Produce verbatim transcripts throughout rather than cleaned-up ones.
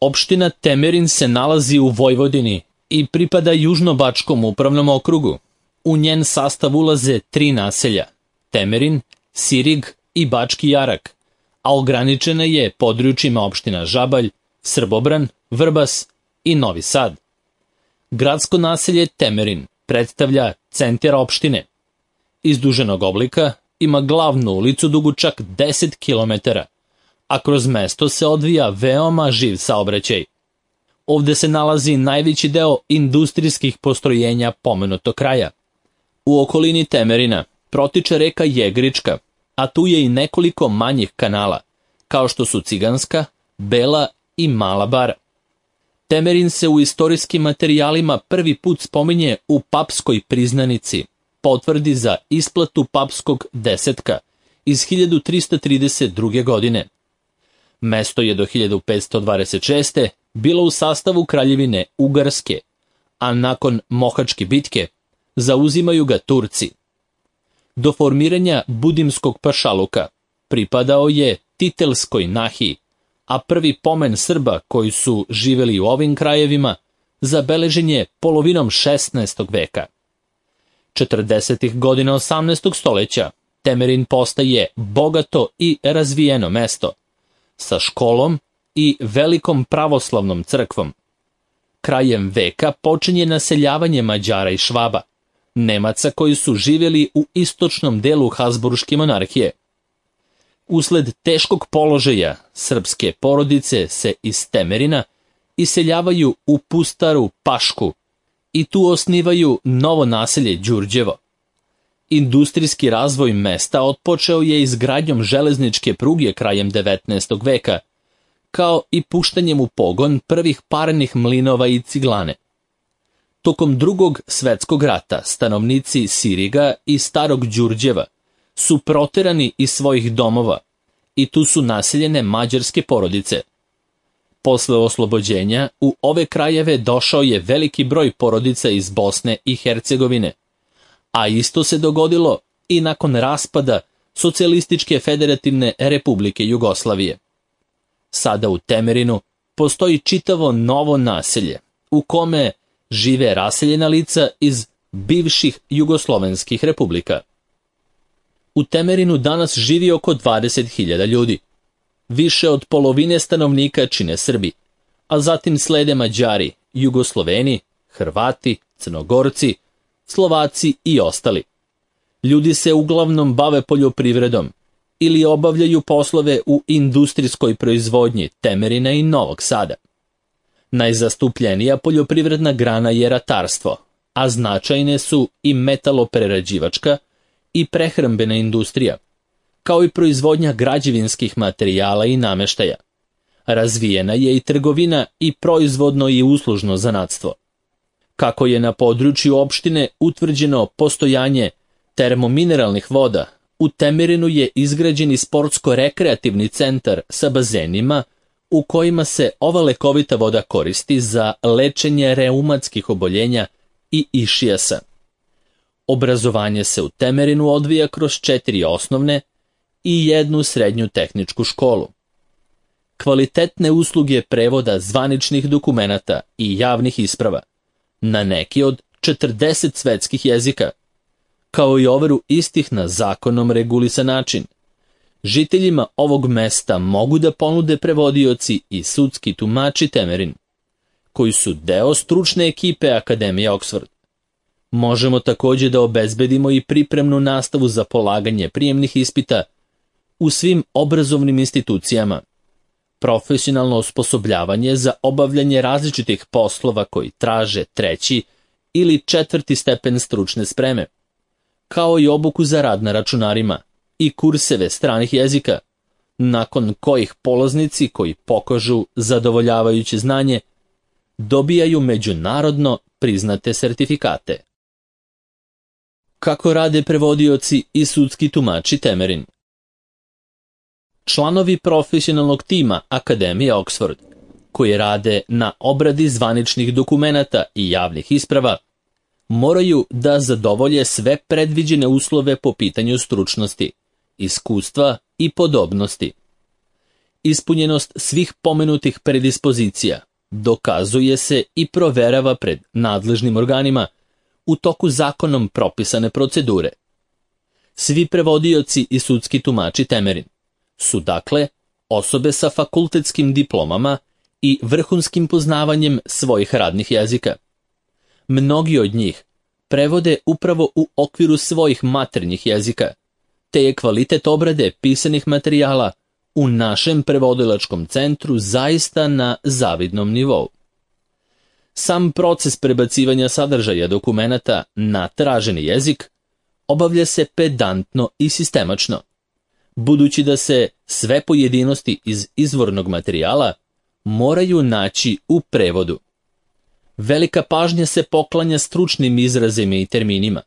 Opština Temerin se nalazi u Vojvodini i pripada Južnobačkom upravnom okrugu. U njen sastav ulaze tri naselja: Temerin, Sirig i Bački Jarak, a ograničena je područjima opština Žabalj, Srbobran, Vrbas i Novi Sad. Gradsko naselje Temerin predstavlja centar opštine. Izduženog oblika, ima glavnu ulicu dugu čak deset kilometara, a kroz mesto se odvija veoma živ saobraćaj. Ovde se nalazi najveći deo industrijskih postrojenja pomenutog kraja. U okolini Temerina protiče reka Jegrička, a tu je i nekoliko manjih kanala, kao što su Ciganska, Bela i Mala Bara. Temerin se u istorijskim materijalima prvi put spominje u papskoj priznanici, potvrdi za isplatu papskog desetka iz hiljadu trista trideset druge. godine. Mesto je do hiljadu petsto dvadeset šeste. bilo u sastavu kraljevine Ugarske, a nakon Mohačke bitke zauzimaju ga Turci. Do formiranja Budimskog pašaluka pripadao je Titelskoj nahiji, a prvi pomen Srba koji su živeli u ovim krajevima zabeležen je polovinom šesnaestog veka. četrdesetih godina osamnaestog stoleća Temerin postaje bogato i razvijeno mesto, sa školom i velikom pravoslavnom crkvom. Krajem veka počinje naseljavanje Mađara i Švaba, Nemaca koji su živjeli u istočnom delu Habsburške monarhije. Usled teškog položaja srpske porodice se iz Temerina iseljavaju u pustaru Pašku i tu osnivaju novo naselje Đurđevo. Industrijski razvoj mesta otpočeo je izgradnjom železničke pruge krajem devetnaestog veka, kao i puštanjem u pogon prvih parnih mlinova i ciglane. Tokom drugog svetskog rata stanovnici Siriga i Starog Đurđeva su proterani iz svojih domova i tu su naseljene mađarske porodice. Posle oslobođenja u ove krajeve došao je veliki broj porodica iz Bosne i Hercegovine, a isto se dogodilo i nakon raspada Socijalističke federativne republike Jugoslavije. Sada u Temerinu postoji čitavo novo naselje u kome žive raseljena lica iz bivših jugoslovenskih republika. U Temerinu danas živi oko dvadeset hiljada ljudi. Više od polovine stanovnika čine Srbi, a zatim slede Mađari, Jugosloveni, Hrvati, Crnogorci, Slovaci i ostali. Ljudi se uglavnom bave poljoprivredom ili obavljaju poslove u industrijskoj proizvodnji Temerina i Novog Sada. Najzastupljenija poljoprivredna grana je ratarstvo, a značajne su i metaloprerađivačka i prehrambena industrija, kao i proizvodnja građevinskih materijala i nameštaja. Razvijena je i trgovina i proizvodno i uslužno zanatstvo. Kako je na području opštine utvrđeno postojanje termomineralnih voda, u Temerinu je izgrađen i sportsko-rekreativni centar sa bazenima u kojima se ova lekovita voda koristi za lečenje reumatskih oboljenja i išijasa. Obrazovanje se u Temerinu odvija kroz četiri osnovne i jednu srednju tehničku školu. Kvalitetne usluge prevoda zvaničnih dokumenata i javnih isprava na neki od četrdeset svetskih jezika, kao i overu istih na zakonom regulisan način. Žiteljima ovog mesta mogu da ponude prevodioci i sudski tumači Temerin, koji su deo stručne ekipe Akademije Oxford. Možemo također da obezbedimo i pripremnu nastavu za polaganje prijemnih ispita u svim obrazovnim institucijama, profesionalno osposobljavanje za obavljanje različitih poslova koji traže treći ili četvrti stepen stručne spreme, kao i obuku za rad na računarima i kurseve stranih jezika, nakon kojih polaznici koji pokažu zadovoljavajuće znanje dobijaju međunarodno priznate sertifikate. Kako rade prevodioci i sudski tumači Temerin? Članovi profesionalnog tima Akademije Oxford, koji rade na obradi zvaničnih dokumenata i javnih isprava, moraju da zadovolje sve predviđene uslove po pitanju stručnosti, iskustva i podobnosti. ispunjenost svih pomenutih predispozicija dokazuje se i proverava pred nadležnim organima u toku zakonom propisane procedure. Svi prevodioci i sudski tumači Temerin su dakle osobe sa fakultetskim diplomama i vrhunskim poznavanjem svojih radnih jezika. Mnogi od njih prevode upravo u okviru svojih maternjih jezika, te je kvalitet obrade pisanih materijala u našem prevodilačkom centru zaista na zavidnom nivou. Sam proces prebacivanja sadržaja dokumenata na traženi jezik obavlja se pedantno i sistemačno, budući da se sve pojedinosti iz izvornog materijala moraju naći u prevodu. Velika pažnja se poklanja stručnim izrazima i terminima,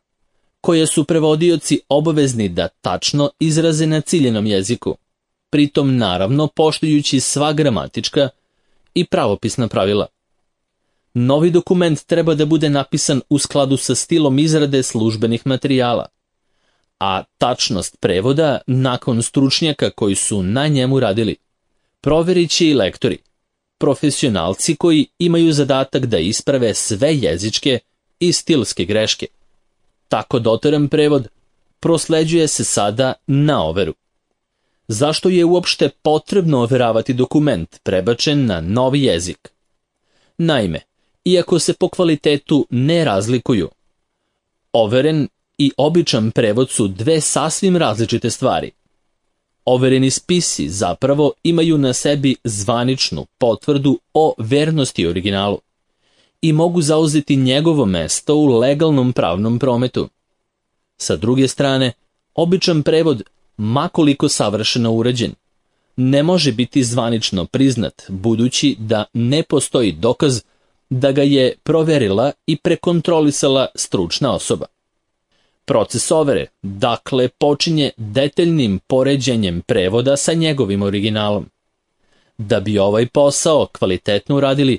koje su prevodioci obavezni da tačno izraze na ciljenom jeziku, pritom naravno poštujući sva gramatička i pravopisna pravila. Novi dokument treba da bude napisan u skladu sa stilom izrade službenih materijala, a tačnost prevoda nakon stručnjaka koji su na njemu radili proverit će i lektori, profesionalci koji imaju zadatak da isprave sve jezičke i stilske greške. Tako doteran prevod prosleđuje se sada na overu. Zašto je uopšte potrebno overavati dokument prebačen na novi jezik? Naime, iako se po kvalitetu ne razlikuju, overen i običan prevod su dve sasvim različite stvari. Overeni spisi zapravo imaju na sebi zvaničnu potvrdu o vernosti originalu i mogu zauzeti njegovo mesto u legalnom pravnom prometu. Sa druge strane, običan prevod, makoliko savršeno urađen, ne može biti zvanično priznat, budući da ne postoji dokaz da ga je proverila i prekontrolisala stručna osoba. Proces overe, dakle, počinje detaljnim poređenjem prevoda sa njegovim originalom. Da bi ovaj posao kvalitetno uradili,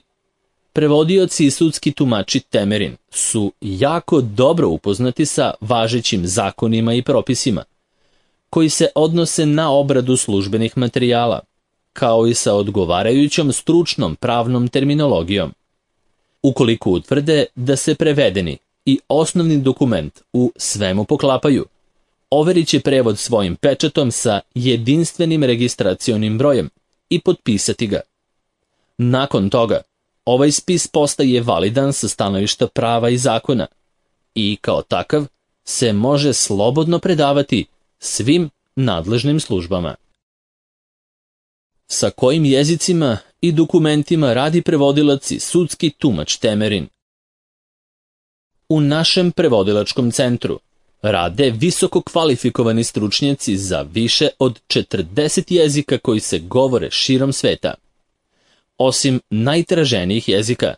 prevodioci i sudski tumači Temerin su jako dobro upoznati sa važećim zakonima i propisima, koji se odnose na obradu službenih materijala, kao i sa odgovarajućom stručnom pravnom terminologijom. Ukoliko utvrde da se prevedeni i osnovni dokument u svemu poklapaju, overit će prevod svojim pečatom sa jedinstvenim registracionim brojem i potpisati ga. Nakon toga, ovaj spis postaje validan sa stanovišta prava i zakona i kao takav se može slobodno predavati svim nadležnim službama. Sa kojim jezicima i dokumentima radi prevodilac i sudski tumač Temerin? U našem prevodilačkom centru rade visoko kvalifikovani stručnjaci za više od četrdeset jezika koji se govore širom sveta. Osim najtraženijih jezika,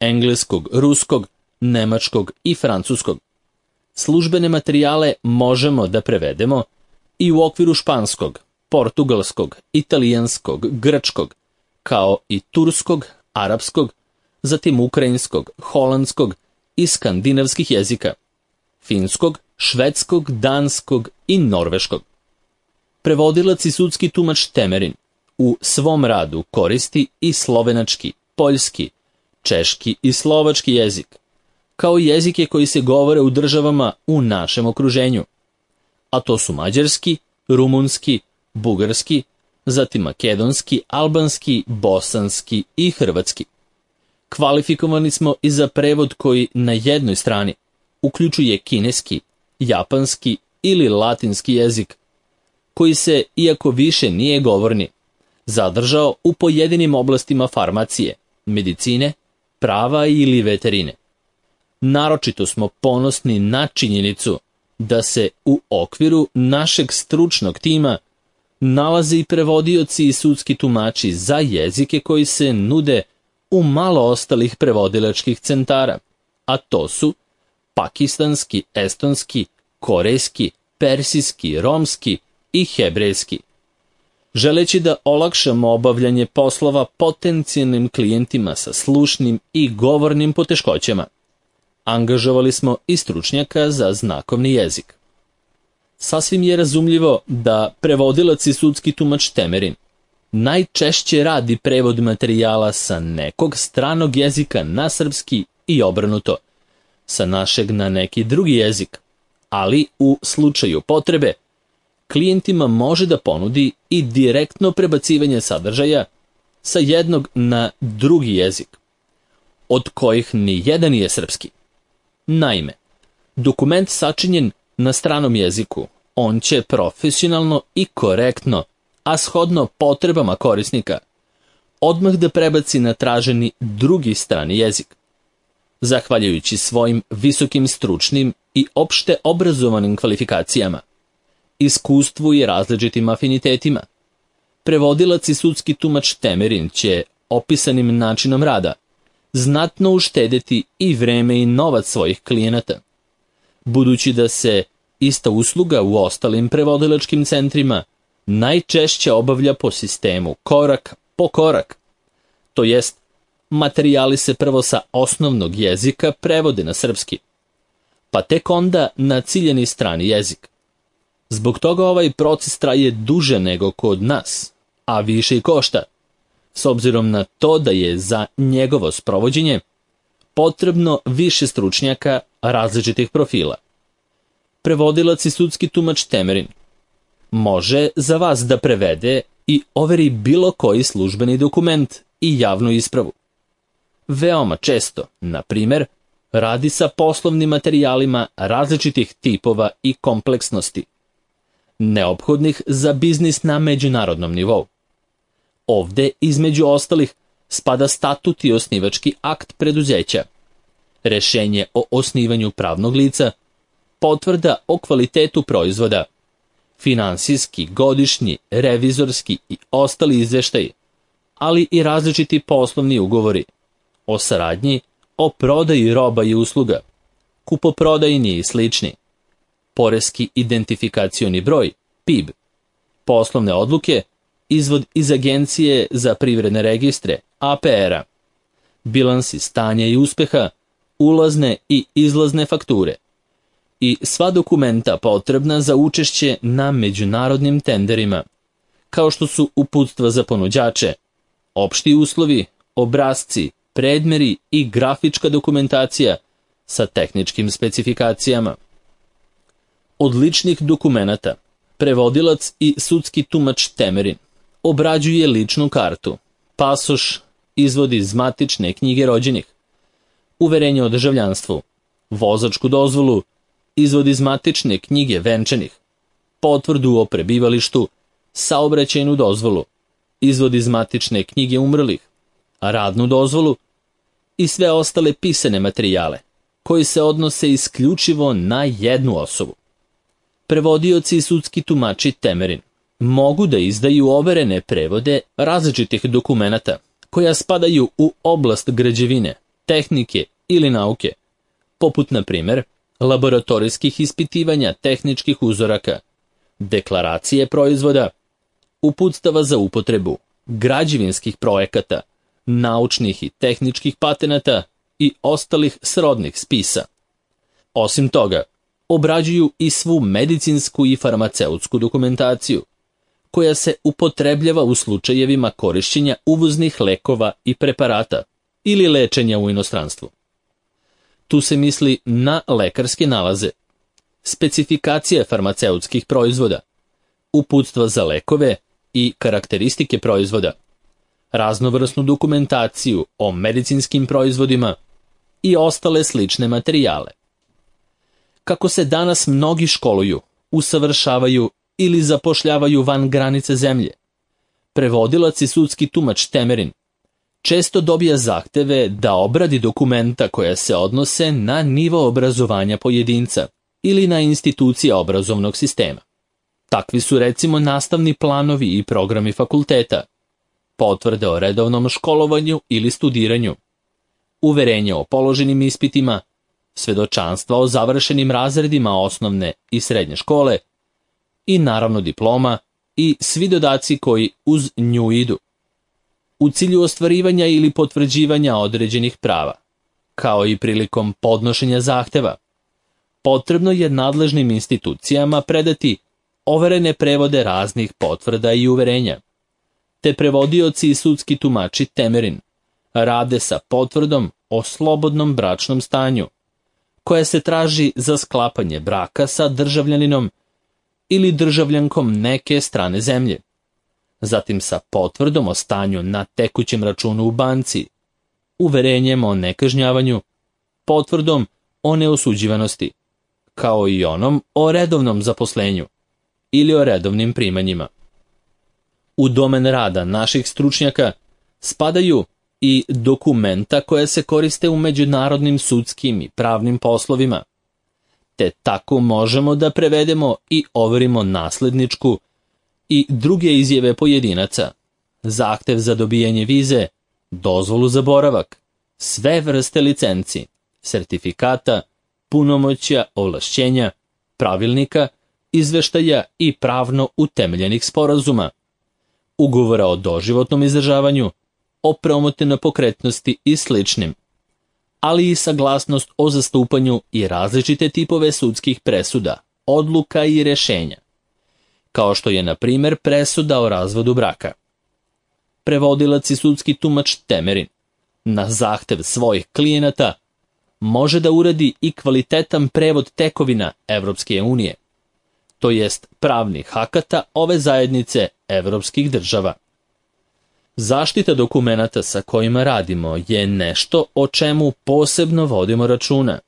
engleskog, ruskog, nemačkog i francuskog, službene materijale možemo da prevedemo i u okviru španskog, portugalskog, italijanskog, grčkog, kao i turskog, arapskog, zatim ukrajinskog, holandskog i skandinavskih jezika, finskog, švedskog, danskog i norveškog. Prevodilac i sudski tumač Temerin u svom radu koristi i slovenački, poljski, češki i slovački jezik, kao i jezike koji se govore u državama u našem okruženju, a to su mađarski, rumunski, bugarski, zatim makedonski, albanski, bosanski i hrvatski. Kvalifikovani smo i za prevod koji na jednoj strani uključuje kineski, japanski ili latinski jezik, koji se, iako više nije govorni, zadržao u pojedinim oblastima farmacije, medicine, prava ili veterine. Naročito smo ponosni na činjenicu da se u okviru našeg stručnog tima nalaze i prevodioci i sudski tumači za jezike koji se nude u malo ostalih prevodilačkih centara, a to su pakistanski, estonski, korejski, persijski, romski i hebrejski. Želeći da olakšamo obavljanje poslova potencijalnim klijentima sa slušnim i govornim poteškoćama, angažovali smo i stručnjaka za znakovni jezik. Sasvim je razumljivo da prevodilac i sudski tumač Temerin najčešće radi prevod materijala sa nekog stranog jezika na srpski i obrnuto, sa našeg na neki drugi jezik, ali u slučaju potrebe, klijentima može da ponudi i direktno prebacivanje sadržaja sa jednog na drugi jezik, od kojih ni jedan nije srpski. Naime, dokument sačinjen na stranom jeziku, on će profesionalno i korektno, a shodno potrebama korisnika, odmah da prebaci na traženi drugi strani jezik. Zahvaljujući svojim visokim stručnim i opšte obrazovanim kvalifikacijama, iskustvu i različitim afinitetima, prevodilac i sudski tumač Temerin će opisanim načinom rada znatno uštedeti i vreme i novac svojih klijenata, budući da se ista usluga u ostalim prevodilačkim centrima najčešće obavlja po sistemu korak po korak, to jest materijali se prvo sa osnovnog jezika prevode na srpski, pa tek onda na ciljeni strani jezik. Zbog toga ovaj proces traje duže nego kod nas, a više i košta, s obzirom na to da je za njegovo sprovođenje potrebno više stručnjaka različitih profila. Prevodilac i sudski tumač Temerin može za vas da prevede i overi bilo koji službeni dokument i javnu ispravu. Veoma često, na primer, radi sa poslovnim materijalima različitih tipova i kompleksnosti, neophodnih za biznis na međunarodnom nivou. Ovde, između ostalih, spada statut i osnivački akt preduzeća, rešenje o osnivanju pravnog lica, potvrda o kvalitetu proizvoda, finansijski, godišnji, revizorski i ostali izveštaji, ali i različiti poslovni ugovori o saradnji, o prodaji roba i usluga, kupoprodajni i slični, poreski identifikacioni broj, P I B, poslovne odluke, izvod iz Agencije za privredne registre, A P R-a, bilansi stanja i uspeha, ulazne i izlazne fakture i sva dokumenta potrebna za učešće na međunarodnim tenderima, kao što su uputstva za ponuđače, opšti uslovi, obrasci, predmeri i grafička dokumentacija sa tehničkim specifikacijama. Od ličnih dokumenata, prevodilac i sudski tumač Temerin obrađuje ličnu kartu, pasoš, izvod iz matične knjige rođenih, uverenje o državljanstvu, vozačku dozvolu, izvod iz matične knjige venčanih, potvrdu o prebivalištu, saobraćajnu dozvolu, izvod iz matične knjige umrlih, radnu dozvolu i sve ostale pisane materijale, koji se odnose isključivo na jednu osobu. Prevodioci i sudski tumači Temerin mogu da izdaju overene prevode različitih dokumenata koja spadaju u oblast građevine, tehnike ili nauke, poput, na primer, laboratorijskih ispitivanja tehničkih uzoraka, deklaracije proizvoda, uputstava za upotrebu, građevinskih projekata, naučnih i tehničkih patenata i ostalih srodnih spisa. Osim toga, obrađuju i svu medicinsku i farmaceutsku dokumentaciju, koja se upotrebljava u slučajevima korišćenja uvoznih lekova i preparata ili lečenja u inostranstvu. Tu se misli na lekarske nalaze, specifikacije farmaceutskih proizvoda, uputstva za lekove i karakteristike proizvoda, raznovrsnu dokumentaciju o medicinskim proizvodima i ostale slične materijale. Kako se danas mnogi školuju, usavršavaju ili zapošljavaju van granice zemlje, prevodilac i sudski tumač Temerin često dobija zahteve da obradi dokumenta koja se odnose na nivo obrazovanja pojedinca ili na institucije obrazovnog sistema. Takvi su recimo nastavni planovi i programi fakulteta, potvrde o redovnom školovanju ili studiranju, uverenje o položenim ispitima, svedočanstva o završenim razredima osnovne i srednje škole i naravno diploma i svi dodaci koji uz nju idu, u cilju ostvarivanja ili potvrđivanja određenih prava, kao i prilikom podnošenja zahteva. Potrebno je nadležnim institucijama predati overene prevode raznih potvrda i uverenja, te prevodioci i sudski tumači Temerin rade sa potvrdom o slobodnom bračnom stanju, koja se traži za sklapanje braka sa državljaninom ili državljankom neke strane zemlje, zatim sa potvrdom o stanju na tekućem računu u banci, uverenjem o nekažnjavanju, potvrdom o neosuđivanosti, kao i onom o redovnom zaposlenju ili o redovnim primanjima. U domen rada naših stručnjaka spadaju i dokumenta koja se koriste u međunarodnim sudskim i pravnim poslovima, te tako možemo da prevedemo i overimo nasledničku i druge izjave pojedinaca, zahtev za dobijanje vize, dozvolu za boravak, sve vrste licenci, sertifikata, punomoćja, ovlašćenja, pravilnika, izveštaja i pravno utemeljenih sporazuma, ugovora o doživotnom izdržavanju, o promote nepokretnosti i sličnim, ali i saglasnost o zastupanju i različite tipove sudskih presuda, odluka i rešenja, kao što je, na primjer, presuda o razvodu braka. Prevodilac i sudski tumač Temerin, na zahtev svojih klijenata, može da uradi i kvalitetan prevod tekovina Evropske unije, to jest pravnih akata ove zajednice evropskih država. Zaštita dokumenata sa kojima radimo je nešto o čemu posebno vodimo računa.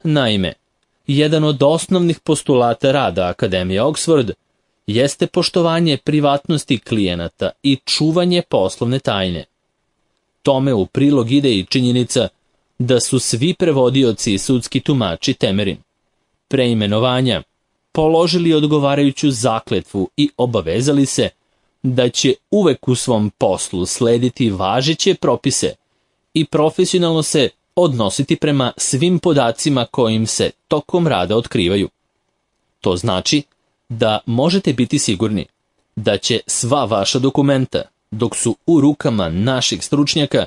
Naime, jedan od osnovnih postulata rada Akademije Oxford jeste poštovanje privatnosti klijenata i čuvanje poslovne tajne. Tome u prilog ide i činjenica da su svi prevodioci i sudski tumači Temerin pre imenovanja položili odgovarajuću zakletvu i obavezali se da će uvek u svom poslu slediti važeće propise i profesionalno se odnositi prema svim podacima kojim se tokom rada otkrivaju. To znači da možete biti sigurni da će sva vaša dokumenta, dok su u rukama naših stručnjaka,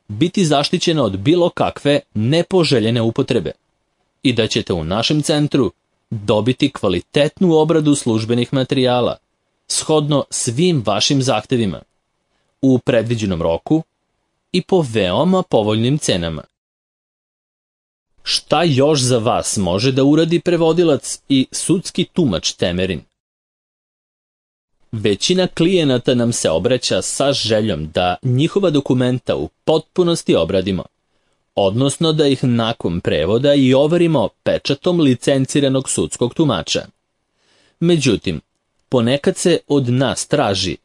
biti zaštićena od bilo kakve nepoželjene upotrebe i da ćete u našem centru dobiti kvalitetnu obradu službenih materijala, shodno svim vašim zahtevima, u predviđenom roku i po veoma povoljnim cenama. Šta još za vas može da uradi prevodilac i sudski tumač Temerin? Većina klijenata nam se obraća sa željom da njihova dokumenta u potpunosti obradimo, odnosno da ih nakon prevoda i overimo pečatom licenciranog sudskog tumača. Međutim, ponekad se od nas traži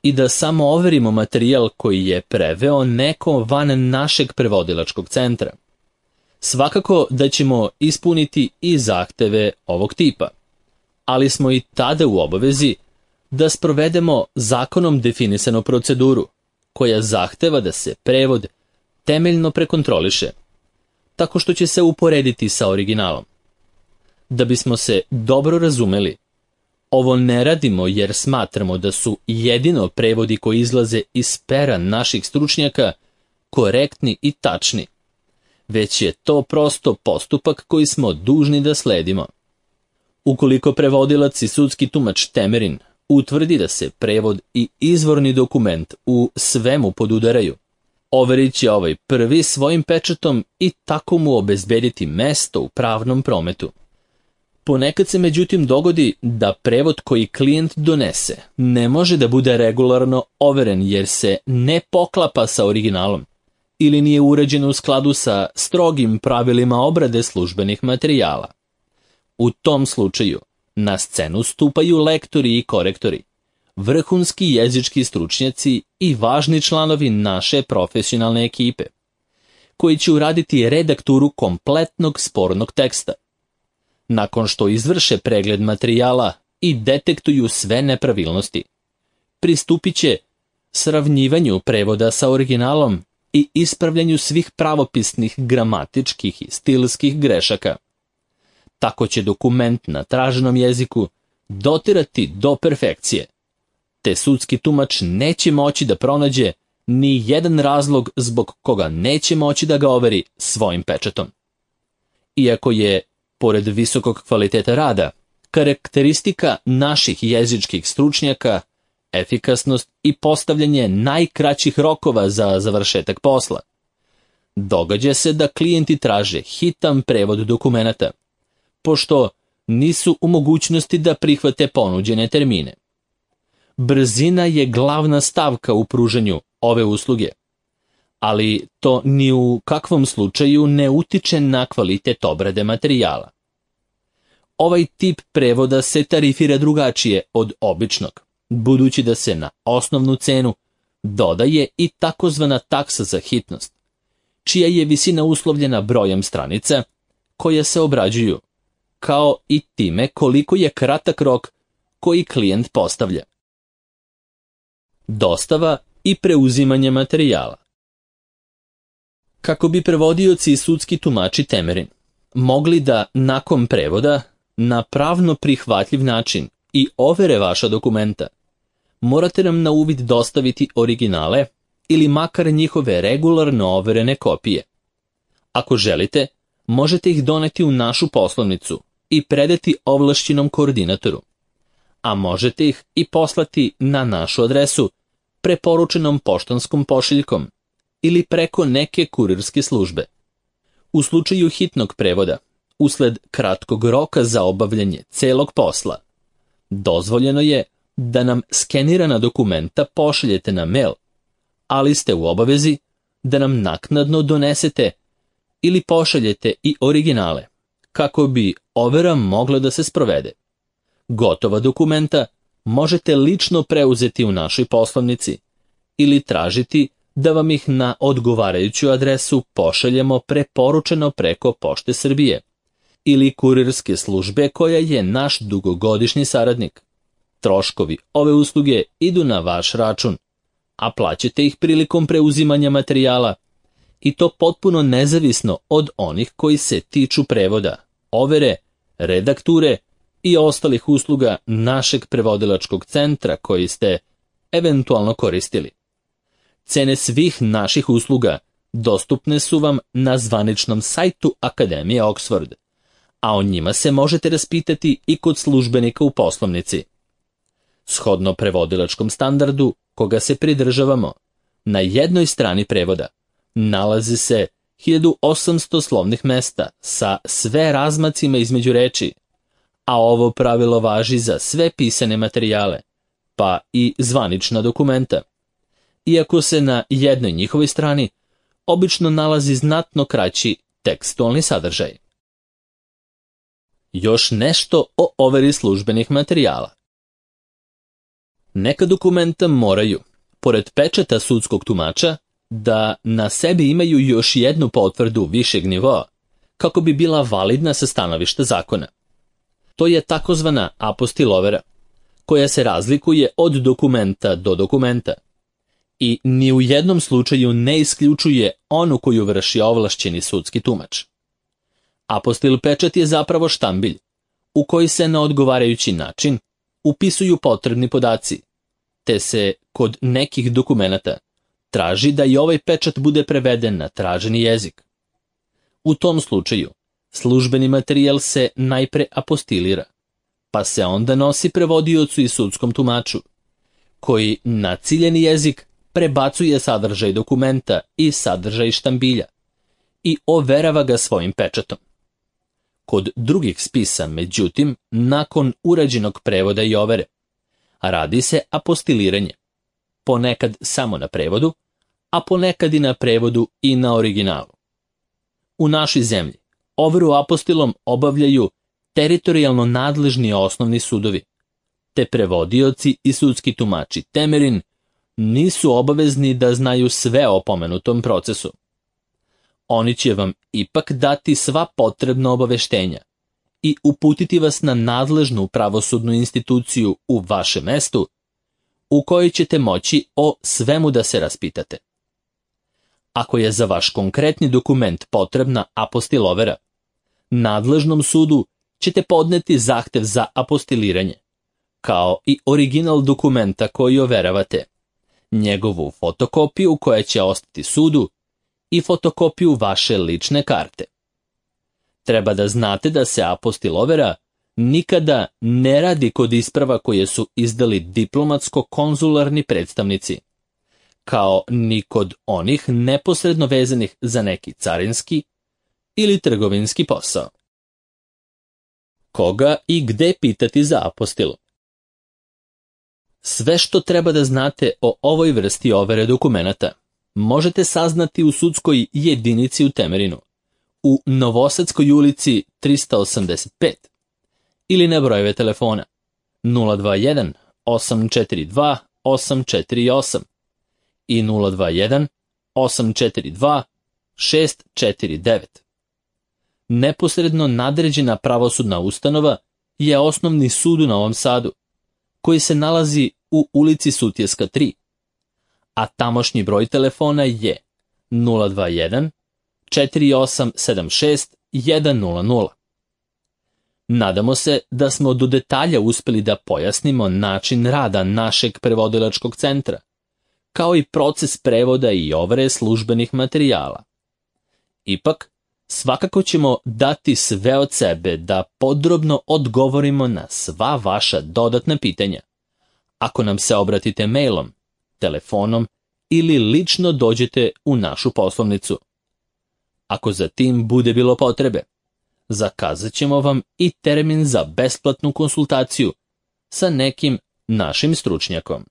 i da samo overimo materijal koji je preveo neko van našeg prevodilačkog centra. Svakako da ćemo ispuniti i zahteve ovog tipa, ali smo i tada u obavezi da sprovedemo zakonom definisanu proceduru, koja zahteva da se prevod temeljno prekontroliše, tako što će se uporediti sa originalom. Da bismo se dobro razumeli, ovo ne radimo jer smatramo da su jedino prevodi koji izlaze iz pera naših stručnjaka korektni i tačni, već je to prosto postupak koji smo dužni da sledimo. Ukoliko prevodilac i sudski tumač Temerin utvrdi da se prevod i izvorni dokument u svemu podudaraju, overit će ovaj prvi svojim pečatom i tako mu obezbediti mesto u pravnom prometu. Ponekad se međutim dogodi da prevod koji klijent donese ne može da bude regularno overen jer se ne poklapa sa originalom ili nije uređen u skladu sa strogim pravilima obrade službenih materijala. U tom slučaju na scenu stupaju lektori i korektori, vrhunski jezički stručnjaci i važni članovi naše profesionalne ekipe, koji će uraditi redakturu kompletnog spornog teksta. Nakon što izvrše pregled materijala i detektuju sve nepravilnosti, pristupit će sravnjivanju prevoda sa originalom i ispravljanju svih pravopisnih, gramatičkih i stilskih grešaka. Tako će dokument na traženom jeziku dotirati do perfekcije, te sudski tumač neće moći da pronađe ni jedan razlog zbog koga neće moći da ga overi svojim pečatom. Iako je, pored visokog kvaliteta rada, karakteristika naših jezičkih stručnjaka efikasnost i postavljanje najkraćih rokova za završetak posla. Događa se da klijenti traže hitan prevod dokumenata, pošto nisu u mogućnosti da prihvate ponuđene termine. Brzina je glavna stavka u pružanju ove usluge, ali to ni u kakvom slučaju ne utiče na kvalitet obrade materijala. Ovaj tip prevoda se tarifira drugačije od običnog, budući da se na osnovnu cenu dodaje i takozvana taksa za hitnost, čija je visina uslovljena brojem stranica koje se obrađuju, kao i time koliko je kratak rok koji klijent postavlja. Dostava i preuzimanje materijala. Kako bi prevodioci i sudski tumači Temerin mogli da nakon prevoda na pravno prihvatljiv način i overe vaša dokumenta, morate nam na uvid dostaviti originale ili makar njihove regularno overene kopije. Ako želite, možete ih doneti u našu poslovnicu i predati ovlašćenom koordinatoru, a možete ih i poslati na našu adresu preporučenom poštanskom pošiljkom ili preko neke kurirske službe. U slučaju hitnog prevoda, usled kratkog roka za obavljanje celog posla, dozvoljeno je da nam skenirana dokumenta pošaljete na mail, ali ste u obavezi da nam naknadno donesete ili pošaljete i originale, kako bi overa mogla da se sprovede. Gotova dokumenta možete lično preuzeti u našoj poslovnici ili tražiti da vam ih na odgovarajuću adresu pošaljemo preporučeno preko Pošte Srbije ili kurirske službe koja je naš dugogodišnji saradnik. Troškovi ove usluge idu na vaš račun, a plaćate ih prilikom preuzimanja materijala, i to potpuno nezavisno od onih koji se tiču prevoda, overe, redakture i ostalih usluga našeg prevodilačkog centra koji ste eventualno koristili. Cene svih naših usluga dostupne su vam na zvaničnom sajtu Akademije Oxford, a o njima se možete raspitati i kod službenika u poslovnici. Shodno prevodilačkom standardu koga se pridržavamo, na jednoj strani prevoda nalazi se hiljadu osamsto slovnih mesta sa sve razmacima između reči, a ovo pravilo važi za sve pisane materijale, pa i zvanična dokumenta, iako se na jednoj njihovoj strani obično nalazi znatno kraći tekstualni sadržaj. Još nešto o overi službenih materijala. Neka dokumenta moraju, pored pečata sudskog tumača, da na sebi imaju još jednu potvrdu višeg nivoa, kako bi bila validna sa stanovišta zakona. To je takozvana apostil overa, koja se razlikuje od dokumenta do dokumenta i ni u jednom slučaju ne isključuje onu koju vrši ovlašćeni sudski tumač. Apostil pečat je zapravo štambilj, u koji se na odgovarajući način upisuju potrebni podaci, te se kod nekih dokumenata traži da i ovaj pečat bude preveden na traženi jezik. U tom slučaju, službeni materijal se najpre apostilira, pa se onda nosi prevodiocu i sudskom tumaču, koji na ciljeni jezik prebacuje sadržaj dokumenta i sadržaj štambilja i overava ga svojim pečatom. Kod drugih spisa, međutim, nakon urađenog prevoda i overe, radi se apostiliranje, ponekad samo na prevodu, a ponekad i na prevodu i na originalu. U našoj zemlji overu apostilom obavljaju teritorijalno nadležni osnovni sudovi, te prevodioci i sudski tumači Temerin nisu obavezni da znaju sve o pomenutom procesu. Oni će vam ipak dati sva potrebna obaveštenja i uputiti vas na nadležnu pravosudnu instituciju u vašem mestu, u kojoj ćete moći o svemu da se raspitate. Ako je za vaš konkretni dokument potrebna apostil overa, nadležnom sudu ćete podneti zahtev za apostiliranje, kao i original dokumenta koji overavate, njegovu fotokopiju koja će ostati sudu i fotokopiju vaše lične karte. Treba da znate da se apostil overa nikada ne radi kod isprava koje su izdali diplomatsko-konzularni predstavnici, kao ni kod onih neposredno vezanih za neki carinski ili trgovinski posao. Koga i gde pitati za apostilu? Sve što treba da znate o ovoj vrsti overe dokumenata možete saznati u sudskoj jedinici u Temerinu, u Novosadskoj ulici trista osamdeset pet ili na brojeve telefona nula dva jedan osam četiri dva osam četiri osam i nula dva jedan osam četiri dva šest četiri devet. Neposredno nadređena pravosudna ustanova je Osnovni sud u Novom Sadu, koji se nalazi u ulici Sutjeska tri, a tamošnji broj telefona je nula dva jedan četiri osam sedam šest jedan nula nula. Nadamo se da smo do detalja uspeli da pojasnimo način rada našeg prevodilačkog centra, kao i proces prevoda i overe službenih materijala. Ipak, svakako ćemo dati sve od sebe da podrobno odgovorimo na sva vaša dodatna pitanja, ako nam se obratite mailom, telefonom ili lično dođete u našu poslovnicu. Ako za tim bude bilo potrebe, zakazat ćemo vam i termin za besplatnu konsultaciju sa nekim našim stručnjakom.